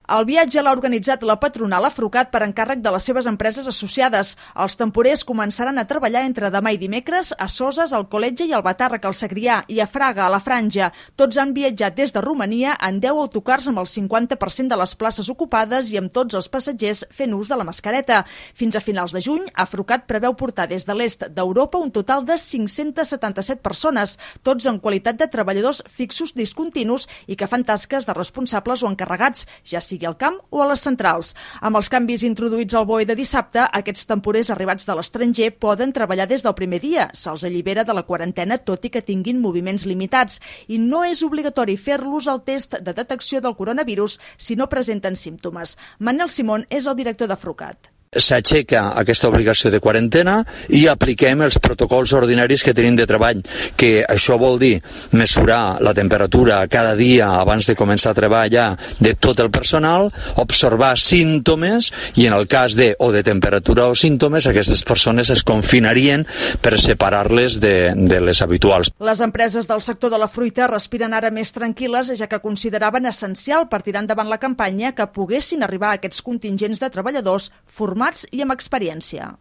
El viatge l'ha organitzat la patronal Afrucat per encàrrec de les seves empreses associades. Els temporers començaran a treballar entre demà i dimecres a Soses, al Col·letge i al Batàrrec, al Segrià, i a Fraga, a la Franja. Tots han viatjat des de Romania en 10 autocars amb el 50% de les places ocupades i amb tots els passatgers fent ús de la mascareta. Fins a finals de juny, Afrucat preveu portar des de l'est d'Europa un total de 577 persones, tots en qualitat de treballadors fixos discontinus i que fan tasques de responsables o encarregats, ja sigui al camp o a les centrals. Amb els canvis introduïts al BOE de dissabte, aquests temporers arribats de l'estranger poden treballar des del primer dia. Se'ls allibera de la quarantena tot i que tinguin moviments limitats. I no és obligatori fer-los el test de detecció del coronavirus si no presenten símptomes. Manel Simón és el director d'Afrucat. S'aixeca aquesta obligació de quarantena i apliquem els protocols ordinaris que tenim de treball, que això vol dir mesurar la temperatura cada dia abans de començar a treballar de tot el personal, observar símptomes i en el cas de temperatura o símptomes, aquestes persones es confinarien per separar-les de les habituals. Les empreses del sector de la fruita respiren ara més tranquil·les, ja que consideraven essencial per tirar endavant la campanya que poguessin arribar a aquests contingents de treballadors formats i amb experiència.